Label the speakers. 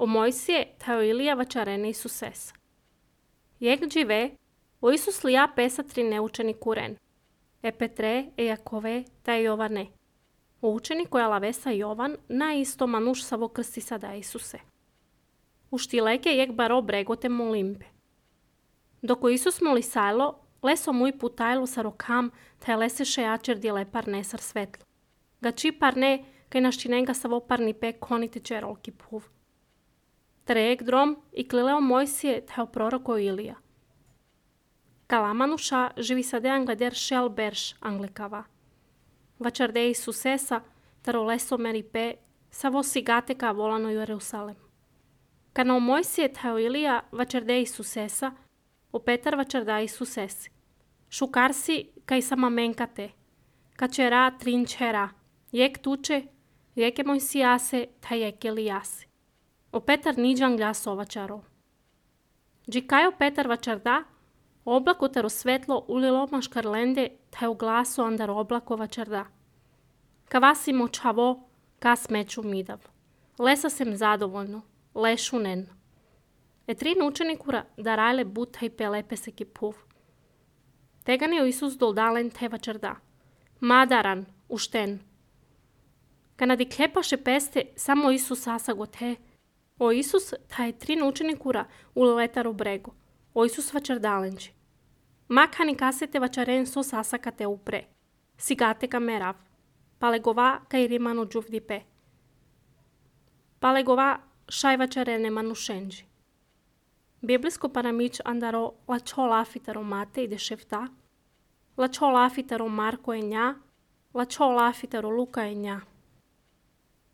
Speaker 1: o Moisije ta Ilija vačarene Isusesa. Jek džive, o Isus lija pesatri neučeni kuren. E Petre, e Jakove, ta Jovane. O učeni koja lavesa Jovan, na isto manuš savo krsti sada Isuse. U štileke jek baro bregote molimpe. Doko Isus moli sajlo, leso muy putajlo sa rokam, ta leseše jačer djele par nesar svetlo. Gači par ne, kaj naščinenga savo parni pe konite čerolki puv. Trejek drom i klileo Mojsije teo proroko Ilija. Kalamanuša živi sade anglader šel berš anglekava. Vačarde Isusesa, taro leso meri pe, savo sigateka volano Jerusalem. Kana o Mojsije teo Ilija vačarde Isusesa, o Petar vačarda Isusesi. Šukarsi kaj sama menkate, kačera trinčera, jek tuče, jeke Mojsijase, ta jek Elijase. O Petar niđan glaso vačaro. Džikajo Petar vačarda, oblako taro svetlo ulilo maškarlende, ta u glaso andar oblako vačarda. Kavasi močavo, ka smeću midav. Lesa sem zadovoljno, lešunen. E trin učenikura darajle butaj pelepe se ki puv. Tegan je Isus doldalen te vačarda. Madaran, ušten. Kana di klepaše peste, samo Isus asago te. O Isus ta je trin učenikura uletaro brego. O Isus vačardalenči. Makani kasete vačaren so sasakate upre. Sigate ka merav. Palegova kaj rimano džuvdi pe. Palegova šaj vačarene manušenži. Biblijsko paramič andaro lačo lafitaro mate i dešefta. Lačo lafitaro Marko e nja. Lačo lafitaro Luka e nja.